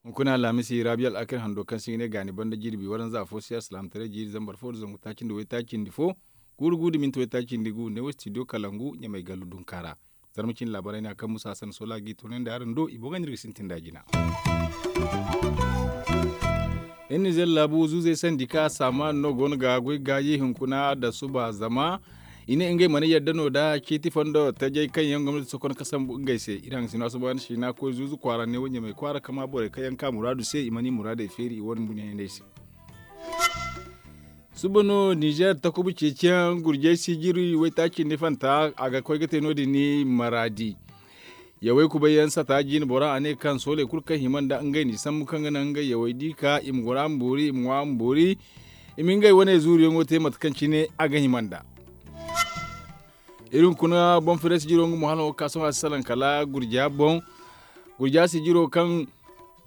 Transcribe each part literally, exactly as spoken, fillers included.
Hunkuna alhamisi rabiya al'akir hando kaŋ se i ga ne gaani banda jirbi waranza fo se alsilaamataray jiiri zambar fo nda zangu taaci nda waytaaci nda fo, guuru gu nda minti waytaaci nda gu ne wo studio kalangu ɲamay gallu dunka ra. Zarma cine laabaray no ya kaŋ musa hasan sola ga i toonandi araŋ do i boŋ ga no iri ga sintin nd'a jina. Iri nizer laabu zuuzey sandi ka saamaan no go no ga goy gaayi hunkuna da suba zama i ne ngey mana yadda no da ciiti fondo tajay kaŋ yaŋ gomnati sokon ka sambu ngey se. Iri haŋ sino asuba na siina koy zuuzu kwaara ne wo ɲamay kwaara kama borey kaŋ yaŋ ka muraadu se i mana i muraadey feeri i wane bune yaŋ se. Suba no nizer takubu ceeciyaŋ gurjay sijiri waytaaci nda fanta a ga koy ga te no- din ni maraadi. Yawey kubay yaŋ sata jiine bora a ne kaŋ sooley kulu kaŋ hima nda ngey n'i sambu kaŋ ga naŋ ngey yawey di ka i ma gora ma boori i ma ŋwa ma boori i ma ngey wane zuuru yaŋo te mate kaŋ cine a ga hima nda. Iri hunkuna boŋ fere sijiro nga mo hala wo ga ka sohõ a si salaŋ kala gurja boŋ. Gurja sijiro kaŋ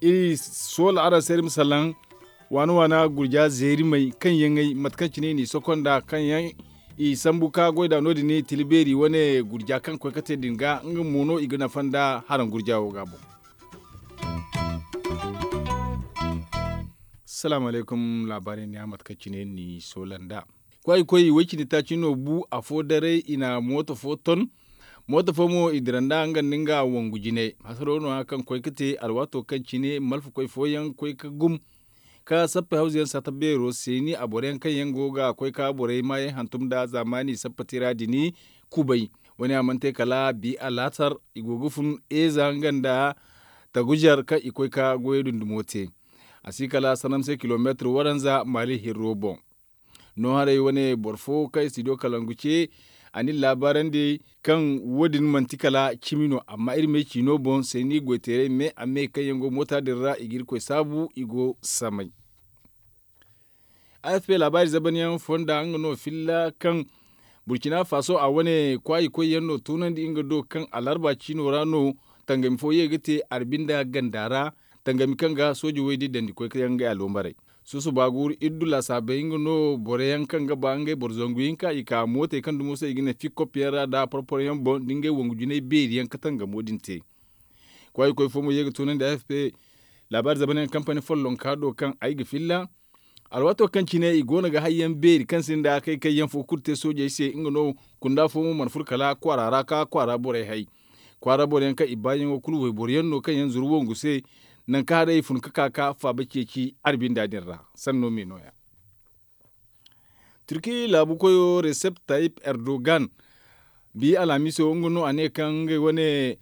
iri soola araŋ se iri ma salaŋ waana waana gurja zeerimey kaŋ yaŋ ay mate kaŋ cine i n'i soko nda kaŋ yaŋ i sambu ka goy nd'a no- din tila beeri wane gurja kaŋ ga koy ga te din ga nga mo no i ga nafa nda haraŋ gurja wo ga boŋ. Salaamu alaykum laabaarey ne a mate kaŋ cine ni soola nda kwaayi koy way cindi taaci no bu afo daray i na mooto fo ton. Mooto fo mo i dira nda nga nda nga wangu jine hasaro no- ya kaŋ koy ga te alwaato kaŋ cine malfakoy fooyaŋ koy ga gum ka sappe hawza yaŋ sata beero se ni a boro yaŋ kaŋ yaŋ go ga koy ka borey maayaŋ hantum nda zaamaani sappe tira din kubay. Wo- ne a mana te kala bi alaatar i go ga fun eeza nga nda taguzer kaŋ i koy ka goyey dundumo te. A si kala sanam se kilomeetir waranza maali hirro boŋ. No haray wane boro fo kaŋ studio kalangu ce a na iri laabaarandi kaŋ wo- din manti kala cimi no amma iri me ciino boŋ se ni goy teeray me a me kaŋ yaŋ go moota din ra i ga irkoy saabu i go samay. Afp laabaari zabanyaŋ fonda nga no filla kaŋ burkina faso a wane kwaayi koy yaŋ no tunandi nga do kaŋ alarba ciino ra no tangami fo ye ga te arbi nda ganda ra. Tangami kaŋ ga sooji woy di dandi koy kaŋ yaŋ ga aloomaray susuba guuru iddu laasaabey nga no boro yaŋ kaŋ ga ba ngey boro zangu hinka i ka mootey kaŋ dumo se i ga ne fikkop yaŋ ra nda porporo yaŋ boŋ nda ngey wangu jinay beeri yaŋ ka tangamo din te. Kwaayi koy fo mo ye ga tunandi afp laabaari zabanyaŋ kampani follonka do kaŋ ay ga filla. Alwaato kaŋ cine i go no ga hayyaŋ beeri kaŋ sinda kay kayyaŋ fo kulu te soojey se nga no kunda fo mo mana furo kala kwaara ra ka kwaara borey hay. Kwaara boro yaŋ kaŋ i baayaŋo kulu wayboro yaŋ no kaŋ yaŋ zuru wangu se. Nangu kaŋ haray i fun ga ka ka faaba ceeci arbinda din ra. Sanno me no- ya turki laabu koyo resep tayip erdogan bi alhamiso nga no a ne kaŋ ngey wane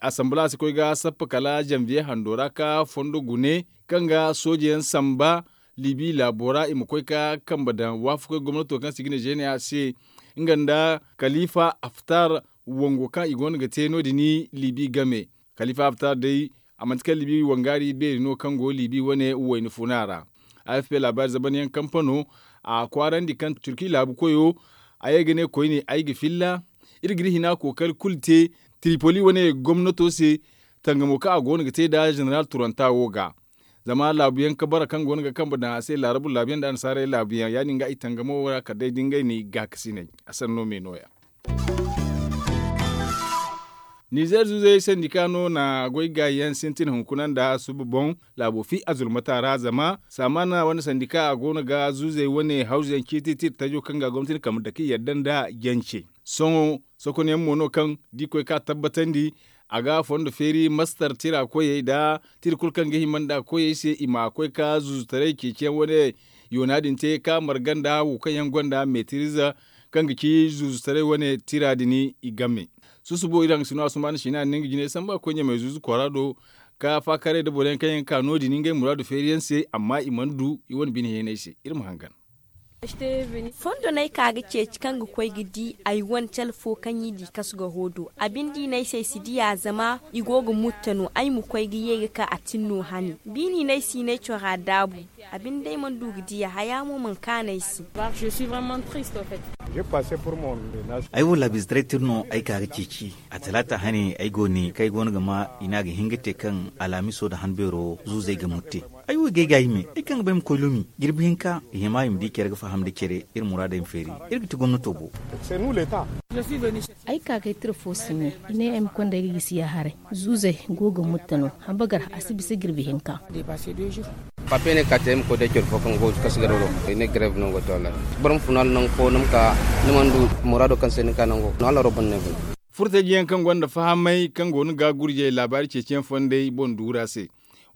asambala si koy ga sappa kala janviye hando ra ka fondo gune kaŋ ga sooje yaŋ samba libi laabo ra i ma koy ka kambe daŋ waafakoy gomnato kaŋ se i ga ne zeene a se nga nda kalifa aftar wango kaŋ i go no ga te no- din libi game. Kalifa aftar day a manti kaŋ libi wangaari beeri no kaŋ go libi wane wayna funa ra. Afp laabaari zabanyaŋ kampano a kwaarandi kaŋ turki laabu koyo a ye ga ne koyne ay ga filla iri ga iri hina kookari kulu te tripoli wane gomnato se tangamo kaŋ a go no ga te nda zeneral turanta wo ga. Zama laabuyaŋ ka bara kaŋ go no ga kambe daŋ a se laarabu laabuyaŋ nda annasaarey laabuyaŋ ya- din ga i tangamo wo ra kala day da ngey na i gaakasinay. A sanno me no- ya nizer zuuzey sandika no na goy gaayi yaŋ sintin hunkuna nda suba boŋ laabo fi a zulmata ra zama saamaana wane sandika a go no ga zuuzey wane hawzu yaŋ ciiti tira tajo kaŋ ga gomnati ni kambe dake yadda nda jance. Sohõ sokonyaŋ mo no kaŋ da i koy ka tabbatandi a ga fondo feeri mastar tira koyey nda tira kulu kaŋ ga hima nda koyey se i ma koy ka zuuzutaray ceeciyaŋ wane yoona din te ka marga nda wo kaŋ yaŋ gonda metiriza kaŋ ga ci zuuzutaray wane tira din i game. Susubo iri haŋ ga sino asumaana siina a na nga jinay samba ga koy ɲamay zuuzu kwaara do ka faakaray nda boro yaŋ kaŋ yaŋ ga ka no- din ngey muraadu feeri yaŋ se amma i mana du i wane bine heenay se iri ma hangan. Fondo no ay ka ga ceeci kaŋ ga koy ga di ay wane cale fo kaŋ i di kasu ga hoo do a binde i ne ay se ay si di a zama i go ga mutta no ay ma koy ga ye ga ka a tin no hane. Biini no ay si i ne ay cora daabu. A binde day mana du ga di a haya mo mana kaanu ay se. Ay wo laabiize taray tira no ay ka ga ceeci a talaata hane ay go ne kaŋ ay go no ga ma i ne a ga hin ga te kaŋ alhamiso nda hanbeero zuuzey ga mutte. Ay wo ga ay ga hime ay kaŋ ga bay ma koy lumi jirbi hinka i hima i ma di care ga faham nda care. Iri muraadey ma feeri iri ga ti gomnato bo. Ay ka ga ay tira fo si ɲa i ne ay ma konda ay ga gisi ya haray. Zuuzey go ga mutta no. Habagar a si bisa jirbi hinka. Papiye ne ka te ay ma koy day care fo kaŋ go ga kasu garo do. I ne gareeb no go ga te wallaahi. Boro ma funa nangu fo ni ma ka ni mana du muraado kaŋ se ni ka nango no hala roobon no ay guna. Furtaji yaŋ kaŋ gonda fahamay kaŋ go no ga gurjey laabaari ceeciyaŋ fondey boŋ duura se.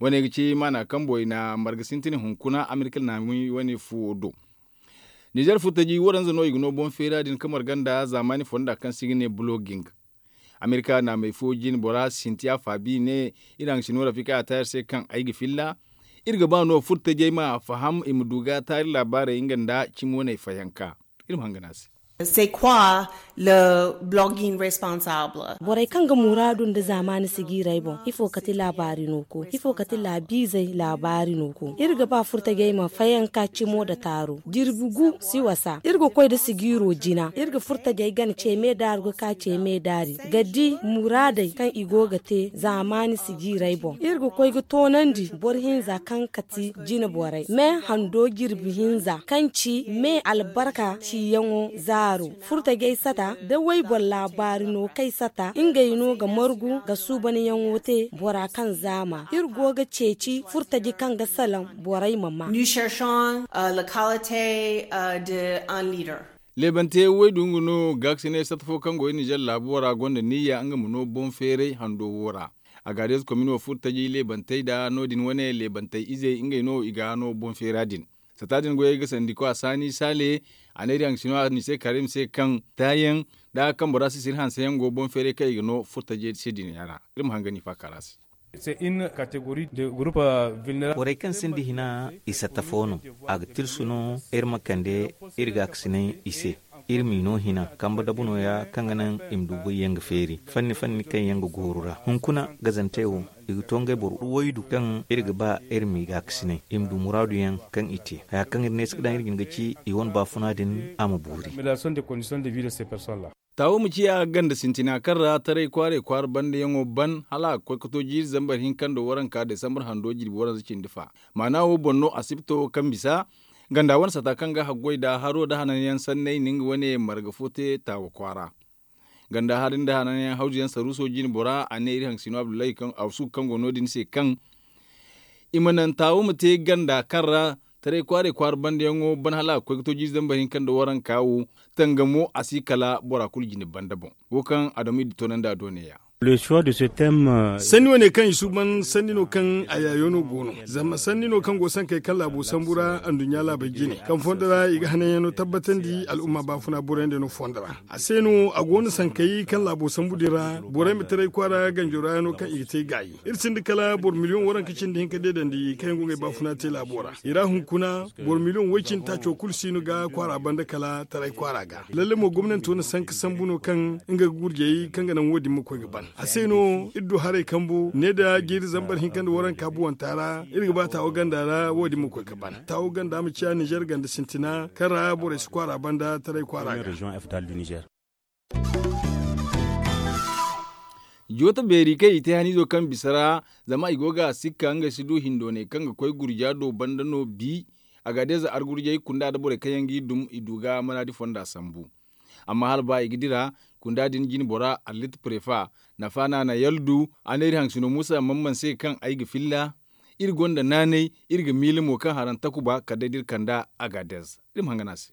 Wane ga ci maana kambo i na marga sintin hunkuna amerika naami wane fuwo do. Nizer furtaji waranza no i ga no boŋ feera din kamar ganda zaamaani fonda kaŋ se i ga ne buloging. Amerika naamey fo jine bora sintiya faabi ne, iri haŋ sino rafika a taayar se kaŋ ay ga filla. Iri ga ba no furtajey ma faham i ma du ga taari laabaarey nga nda cimi waney fayanka. Iri ma hangan a se. C'est quoi le blogging responsable? Borey kaŋ ga muraadu nda zaamaani sigiirey boŋ ifo kati laabaari no ko ifo kati laabiizey laabaari no ko iri ga ba furtajey ma fayanka cimo nda taaro jirbi gu si wasa iri ga koy nda sigiiro jina iri ga furtajey gana ceeme daaru ga ka ceeme daari ga di muraadey kaŋ i go ga te zaamaani sigiirey boŋ iri ga koy ga toonandi boro hinza kaŋ kati jine borey me hando jirbi hinza kaŋ ci me albarka ciyaŋo zaaro furtajey sata da wayboro laabaari no kay sata ngey no ga margu ga suubanyaŋo te bora kaŋ zaama iri go ga ceeci furtaji kaŋ ga salaŋ borey ma maa. Leebante way du nga no gaakasinay satta fo kaŋ go iri nizer laabo ra gonda niyya nga ma no boŋ feeray hando wo ra. Agaadez komino furtaji leebantey nda no- din wane leebantey izey ngey no i ga no boŋ feera din. Sata din goyey ga sandi ko a saani saale a ne iri haŋ ga sino a ni se karim se kaŋ taayaŋ nda kaŋ bora si siri hanse yaŋ go boŋ feeray kaŋ i ga no furtajey se din yaŋ ra. Iri ma haŋ ga ni faaka ra se. Borey kaŋ sinda hina i satta fo no. A ga tirsu no iri ma kande iri gaakasinay i se. Iri m'i no hina kambe dabu nooya kaŋ ga naŋ i ma du goy yaŋ ga feeri fanni fanni kaŋ yaŋ ga gooru ra hunkuna gazantey wo i ga to ngey boro waydu kaŋ iri ga ba iri m'i gaakasinay i ma du muraadu yaŋ kaŋ i te haya kaŋ iri ne si ga daŋ iri ga hin ga ci i wane baafuna din a ma boori. Taawo ma ciya ganda sintina kaŋ ra taray kwaaray kwaara bandayaŋo ban hala a ga koy ga to jiiri zambar hinka nda waranka desambar hando jirbi waranza cindi fa. Maana wo boŋ no asibto kaŋ bisa ganda wane sata kaŋ ga haggoy nda haro nda hananyaŋ sanney na nga wane marga fo te taawo kwaara. Ganda hari nda hananyaŋ hawzuyaŋ saruuso jine bora a ne iri haŋ sino abdullahi kaŋ a sugu kaŋ go no- din se kaŋ i ma naŋ taawo ma te ganda kaŋ ra taray kwaaray kwaara bandayaŋo ban hala a ga koy ga to jiiri zambar hinka nda waranka wo tangamo a si kala bora kulu jine banda boŋ. Wo kaŋ adamu i di toonandi a do ne- ya. Sanni wane kaŋ i suuban sanni no kaŋ a yaayo no go no. Zama sanni no kaŋ go sankey kaŋ laabo sambu ra anduɲɲa laabey jine kaŋ fondo ra i ga hananyaŋo tabbatandi al'umma baafuna borey nda no fondo ra. A se no a go no sankey kaŋ laabo sambu din ra borey ma taray kwaara ganjo ra no kaŋ i ga te gaayi. Iri sinda kala boro miliyoŋ waranka cindi hinka deedandi kaŋ yaŋ go ngey baafuna te laabo ra i ra hunkuna. Boro miliyoŋ way cindi taaco kulu si no ga kwaara banda kala taray kwaara ga lalle mo gomnanto na sanka sambu no kaŋ nga ga gurjey kaŋ ga naŋ wo- din ma koy ga ban. A se no iri du haray kambu ne nda jiiri zambar hinka nda waranka buwanta ra iri ga ba taawo ganda ra wo- din ma koy ga ban taawo ganda ma ciya nizer ganda sintina kaŋ ra borey si kwaara banda taray kwaara ga. Joota beeri kaŋ i te haniizo kaŋ bisa ra zama i go ga sikka ngey si du hindoonay kaŋ ga koy gurja do banda no bi. Agaadez argurjey kunda nda borey kaŋ yaŋ g'i dum i du ga manaadi fonda sambu. Amma hala ba i ga dira kunda din jine bora allit prefa nafa no a na yaldu a ne iri haŋ sino muusa mamman se kaŋ ay ga filla. Iri gonda naanay iri ga miila mo kaŋ haraŋ takuba kala day da iri kand'a. Agaadez iri ma hangana se.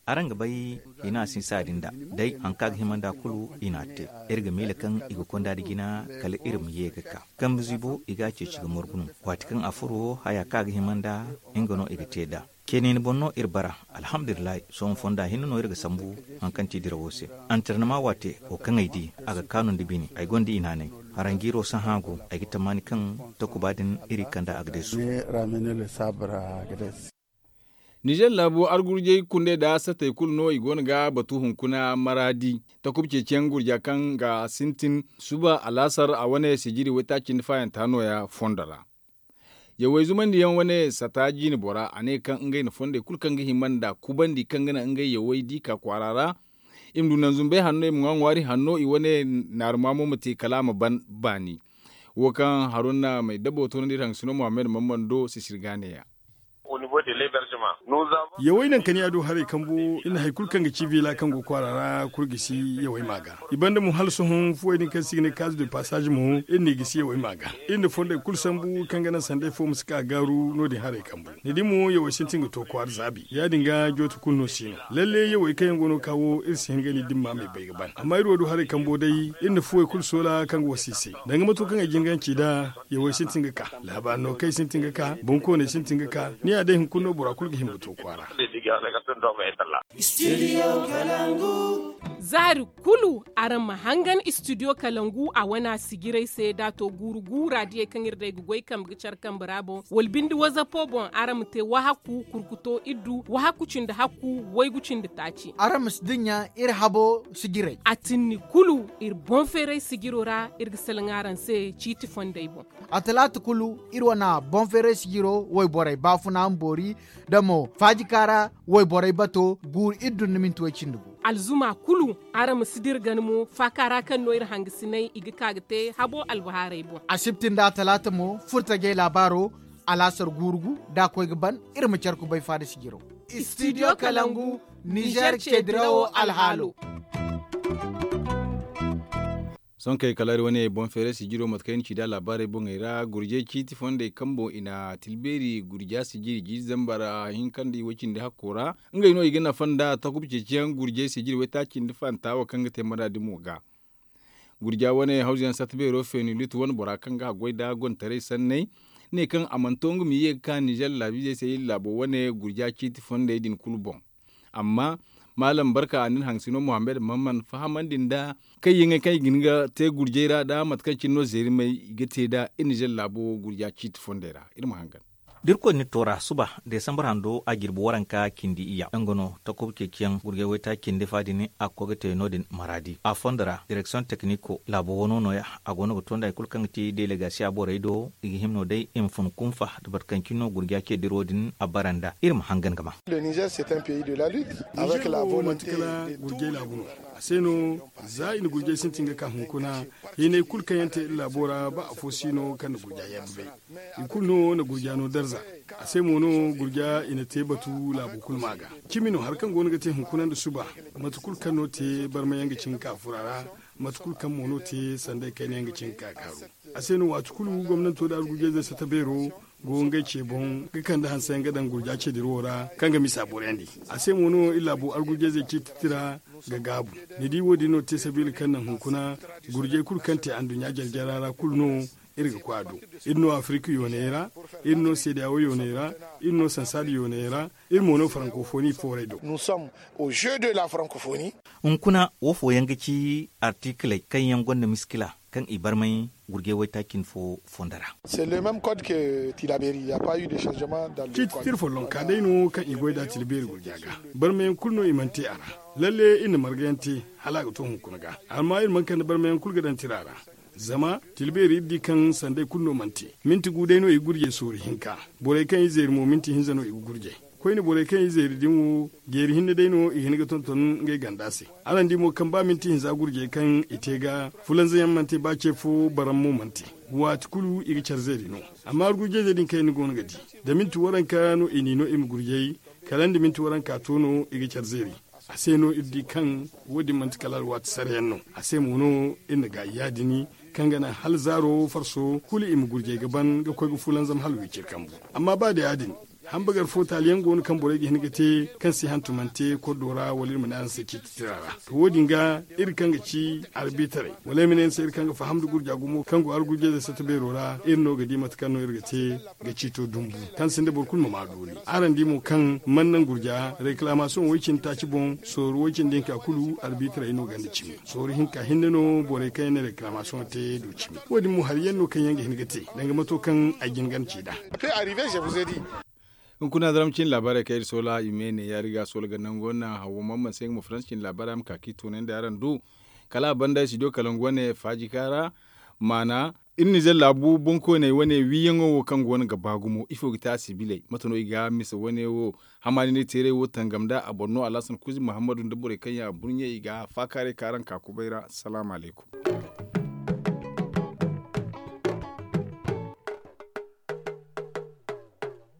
Araŋ ga bay i n'a sinsa din da day haŋ kaŋ a ga hima nd'a kulu i n'a te. Iri ga miila kaŋ i ga konda nda jina kala iri ma ye ga ka kambe zibo i g'a ceeci ga margu no. Waati kaŋ a furo haya kaŋ a ga hima nd'a nga no i ga te nd'a. Ceeney ni boŋ no iri bara. Alhamdulillahi sohõ fonda hinne no iri ga sambu haŋ kaŋ ti dirawo se. Antarnama waate wo kaŋ ay di a ga kaanu nda bine ay gonda i naanay. Haranjiiro sahã go ay ga tammaani kaŋ takuba din iri kand'a a ga deesu. Nizer laabo argurjey kundey nda satey kulu no i go no ga batu hunkuna maraadi takuba ceeciyaŋ gurja kaŋ ga sintin suba alaasar a wane sijiri waytaaci nda faayanta nooya fondo ra. Yawey zumandiyaŋ wane sata jiine bora a ne kaŋ ngey na fondey kulu kaŋ ga hima nda kubandi kaŋ ga naŋ ngey yawey di ka kwaara ra. I ma du naŋ zumbey hanno i ma ŋwa ŋwaari hanno i wane naaruma mo ma te kala a ma ban baani. Wo kaŋ haruna may dabo toonandi iri haŋ sino muhammad mammando sisirga neeya. Yawey naŋ kaniya do haray kambo iri na hari kulu kaŋ ga ci vila kaŋ go kwaara ra kulu gisi yawey ma ga. I banda mo hala sohõ fuwey din kaŋ se i ga ne kaazu de pasaaz mo iri n'i gisi yawey ma ga. Iri na fondey kulu sambu kaŋ ga naŋ sanday fo ma si ka gaaru no- din haray kambo. Ni di mo yawey sintin ga to kwaara zaabi ya- din ga jooto kulu no si no. Lalle yawey kaŋ yaŋ go no ga ka wo iri si hin ga ni dimma me bay ga ban amma iri wo du haray kambo day iri na fuwey kulu soola kaŋ ga wasa i se. Danga mato kaŋ ay jin ganci nd'a yawey sintin ga ka. Laabaari no kaŋ ay sintin ga ka bonkooney sintin ga ka. Ni ya day hunkuna no bora kulu ga hima ga to kwaara. Za hari kulu araŋ ma hangan istidiyo kalangu a wane a sijirey se da a to guuru guura diyey kaŋ iri day ga goy kambe ga care kambe ra boŋ wala binde wazapo boŋ araŋ ma te wahakku kurkuto iddu wahakku cindi hakku waygu cindi taaci. Araŋ ma si dinya iri habo sijirey. A tinni kulu iri boŋ feeray sijiro ra iri ga salaŋ araŋ se ciiti fondey boŋ. A talaata kulu iri wane boŋ feeray sijiro wayborey baafuna ma boori da mo faajika ra wayborey bato guuru iddu nda minti way cindi gu. Alzuma kulu araŋ ma si dira gana mo faaka ra kaŋ no iri hangasinay i ga ka ga te habo albahaarey boŋ. Asibti nda atalaata mo furtajey laabaaro alaasar guuru gu da a koy ga ban. Iri ma care kubay faada sijiro. Istidiyo kalangu nizer ce dirawo alhaalo. Sonkey kala iri wane boŋ feeray sijiro mate kaŋ iri na ci nd'a laabaarey boŋey ra gurjey ciiti fondey kambo i na tilbeeri gurja sijiri jiiri zambar hinkandi way-cindi hakko ra. Ngey no i ga nafa nd'a takuba ceeciyaŋ gurjey sijiri waytaaci nda fanta wo kaŋ ga te maraadi mo ga. Gurja wane hawzuyaŋ satta beero feeni lutu wane bora kaŋ ga a goy nd'a gontaray sanney ne kaŋ a mana to nga ma ye ga ka nizer laabiizey se iri laabo wane gurja ciiti fondey din kulu boŋ. Amma maalam barka a na iri haŋ sino muhammad mahamman fahamandi nd'a kaŋ yaŋey kaŋ i ga hin ga te gurjey ra nd'a mate kaŋ cine no zeerimey i ga te nd'a iri nizer laabo gurja ciiti fondey ra. Iri ma hangan. Da irkoy na iri toora suba desambar hando a jirbi waranka cindi iyya nga no takob ceeciyaŋ gurjey waytaaci cindi fa din a ga koy ga te no- din maraadi a fondo ra direksiyoŋ tekniko laabo wano nooya. A go no ga to nda hari kulu kaŋ ga ti delegasiya borey do i ga hima no day i ma fun kunfa da boro kaŋ cine no gurja ce diro din a bara nd'a iri ma hangan ga ma. Nizer wo manti kala gurjey laabu no. A se no za i na gurjey sintin ga ka hunkuna hinay kulu kaŋ yaŋ te iri laabo ra ba afo si no kaŋ na gurja yadda bay. I kulu no na gurja no darza. A se mo no gurja i na te batu laabu kulu ma ga cimi no hari kaŋ go no ga te hunkuna nda suba mate kulu kaŋ no te barma yaŋ ga cin ga ka fura ra. Mate kulu kaŋ mo no te sanday kayna yaŋ ga cin ga ka kaaru. A se no waati kulu gomnanto nda argujayzey sata beero go ngey ce boŋ ga kande hanse yaŋ ga daŋ gurja ce dira wo ra kaŋ ga misa borayandi. A se mo no iri laabo argujayzey ciiti tira ga gaabu. Ni di wo- din no te sabiila kaŋ naŋ hunkuna gurjay kulu kaŋ te anduɲɲa jare-jara ra kulu no iri ga koy a do. Iri no afirik yooney ra, iri no seedeyawo yooney ra, iri no sansaada yooney ra, iri mo no farankofoni fooray do. Hunkuna wo fooyaŋ ga ci artikiley kaŋ yaŋ gonda miskila kaŋ i barmay gurjay waytaaci cindi fo fondo ra. Ciiti tira follonka day no kaŋ i goy nd'a tira beeri gurja ga. Barmayaŋ kulu no i mana te a ra. Lalle iri na marga yaŋ te hala a ga to hunkuna ga. Amma iri mana kande barmayaŋ kulu ga daŋ tira ra. Zama tira beeri iri di kaŋ sanday kulu no mana te. Minti gu day no i ga gurjay sooru hinka. Borey kaŋ i zeeri mo minti hinza no i ga gurjay. Koyne borey kaŋ i zeeri din wo jeeri hinne day no i hin ga tonton ngey ganda se. Araŋ di mo kaŋ ba minti hinza gurjey kaŋ i te ga fulanza yaŋ mana te ba ce fo baram mo mana te. Waati kulu i ga care zeeri no. Amma argujayzey din kaŋ yaŋ ni go no ga di da minti waranka no i n'i no i ma gurjay. Kala nda minti waranka to no i ga care zeeri. A se no iri di kaŋ wo- din manti kala alwaati sara yaŋ no. A se mo no iri na gaayi ya- din kaŋ ga naŋ hala zaaro farso kulu i ma gurjay ga ban ga koy ga fulanzam hala wiciri kambu. Amma ba da ya- din, hambagar fo taali yaŋ go no kaŋ borey ga hin ga te kaŋ si hantumante kordo ra wala iri ma ne araŋ se ciiti tira ra. To wo- din ga iri kaŋ ga ci arbitaray wala ay ma ne ni se iri kaŋ ga faham nda gurja gumo kaŋ go argujayzey satta beero ra iri no ga di mate kaŋ no iri ga te ga ciito dumbu kaŋ sinda boro kulu ma maa doori. Araŋ di mo kaŋ mana naŋ gurja reklamasiyoŋ way- cindi taaci boŋ sooru way- cindi hinka kulu arbitaray no ganda cimi. Sooru hinka hinne no borey kaŋ yaŋ na reklamasiyoŋ te du cimi. Wo- din mo hari yaŋ no kaŋ yaŋ ga hin ga te danga mato kaŋ ay jin ganda ci nd'a. Hunkuna zaram cine laabaarey kaŋ iri soola i me ne yaari ga soola ga nango naŋ hawo mamman se nga ma faransi cine laabaarey a ma ka ka i toonandi araŋ du. Kala a banda studio kalangu wane faajika ra maana iri nizer laabu boŋkoyney wane wiiyaŋo wo kaŋ go no ga ba gumo ifo ga te a sibiley mate no i ga misa wane wo? Hamaani ne teeray wo tangam nda a boro no alhasan kuuzi muhammadu nda borey kaŋ yaŋ a burɲe i ga faakaaray ka araŋ ka kubay ra salaamu alaykum.